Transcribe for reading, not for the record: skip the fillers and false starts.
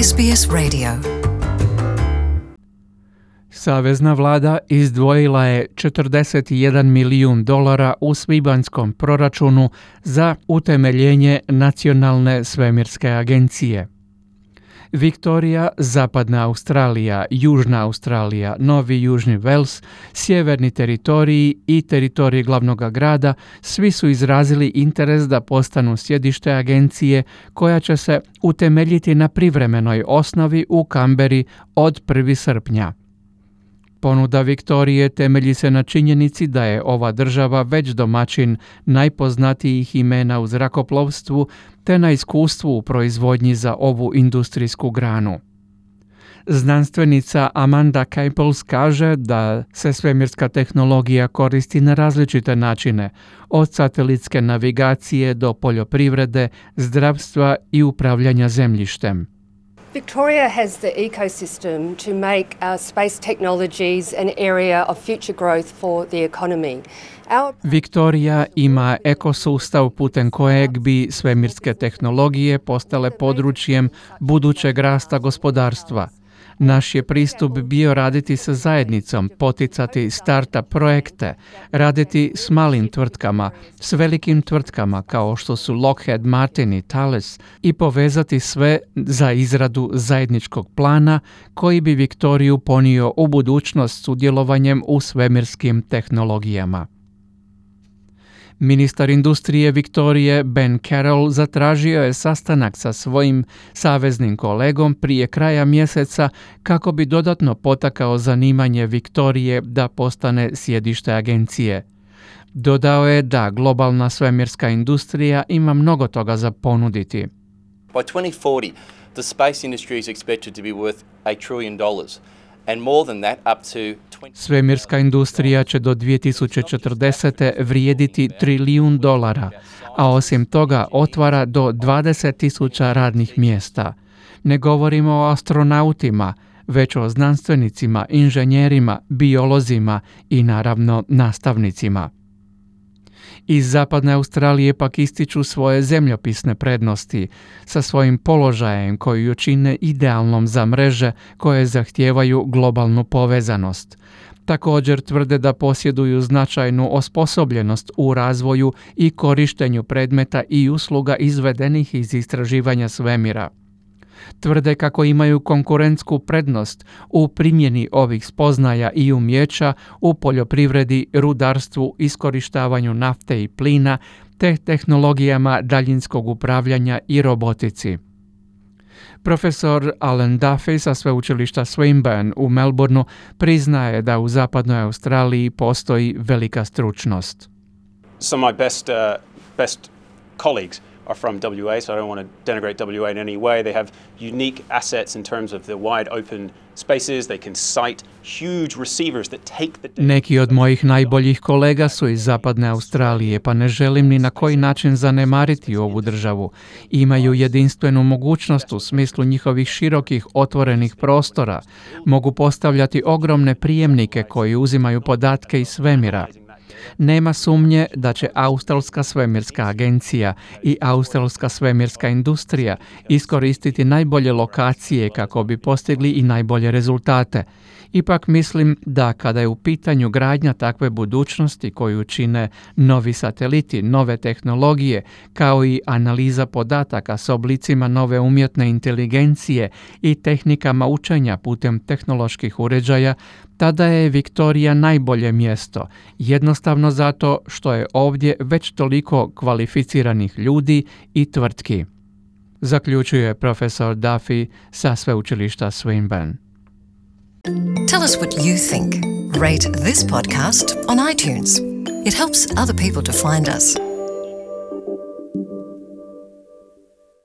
SBS Radio. Savezna vlada izdvojila je $41 milijun u svibanjskom proračunu za utemeljenje Nacionalne svemirske agencije. Viktorija, Zapadna Australija, Južna Australija, Novi Južni Vels, Sjeverni teritoriji i teritorij glavnog grada svi su izrazili interes da postanu sjedište agencije koja će se utemeljiti na privremenoj osnovi u Kamberi od 1. srpnja. Ponuda Viktorije temelji se na činjenici da je ova država već domaćin najpoznatijih imena u zrakoplovstvu te na iskustvu u proizvodnji za ovu industrijsku granu. Znanstvenica Amanda Caples kaže da se svemirska tehnologija koristi na različite načine, od satelitske navigacije do poljoprivrede, zdravstva i upravljanja zemljištem. Victoria has the ecosystem to make our space technologies an area of future growth for the economy. Viktorija ima ekosustav putem kojeg bi svemirske tehnologije postale područjem budućeg rasta gospodarstva. Naš je pristup bio raditi sa zajednicom, poticati start-up projekte, raditi s malim tvrtkama, s velikim tvrtkama kao što su Lockheed Martin i Thales i povezati sve za izradu zajedničkog plana koji bi Viktoriju ponio u budućnost sudjelovanjem u svemirskim tehnologijama. Ministar industrije Viktorije Ben Carroll zatražio je sastanak sa svojim saveznim kolegom prije kraja mjeseca kako bi dodatno potakao zanimanje Viktorije da postane sjedište agencije. Dodao je da globalna svemirska industrija ima mnogo toga za ponuditi. By 2040, the space industry is expected to be worth $1 trillion. And more than that, up to Svemirska industrija će do 2040. vrijediti $1 trilijun, a osim toga otvara do 20.000 radnih mjesta. Ne govorimo o astronautima, već o znanstvenicima, inženjerima, biolozima i naravno nastavnicima. Iz Zapadne Australije pak ističu svoje zemljopisne prednosti sa svojim položajem koji ju čine idealnom za mreže koje zahtijevaju globalnu povezanost. Također tvrde da posjeduju značajnu osposobljenost u razvoju i korištenju predmeta i usluga izvedenih iz istraživanja svemira. Tvrde kako imaju konkurentsku prednost u primjeni ovih spoznaja i umjeća u poljoprivredi, rudarstvu, iskorištavanju nafte i plina te tehnologijama daljinskog upravljanja i robotici. Profesor Alan Duffy sa sveučilišta Swinburne u Melbourneu priznaje da u Zapadnoj Australiji postoji velika stručnost. Some of my best colleagues are from WA, so I don't want to denigrate WA in any way. They have unique assets in terms of the wide open spaces. They can site huge receivers that take the data. Neki od mojih najboljih kolega su iz Zapadne Australije, pa ne želim ni na koji način zanemariti ovu državu. Imaju jedinstvenu mogućnost u smislu njihovih širokih otvorenih prostora. Mogu postavljati ogromne prijemnike koji uzimaju podatke iz svemira. Nema sumnje da će Australska svemirska agencija i Australska svemirska industrija iskoristiti najbolje lokacije kako bi postigli i najbolje rezultate. Ipak mislim da kada je u pitanju gradnja takve budućnosti koju čine novi sateliti, nove tehnologije, kao i analiza podataka s oblicima nove umjetne inteligencije i tehnikama učenja putem tehnoloških uređaja, tada je Viktorija najbolje mjesto, jednostavno zato što je ovdje već toliko kvalificiranih ljudi i tvrtki. Zaključuje profesor Duffy sa sveučilišta Swinburne. Tell us what you think. Rate this podcast on iTunes. It helps other people to find us.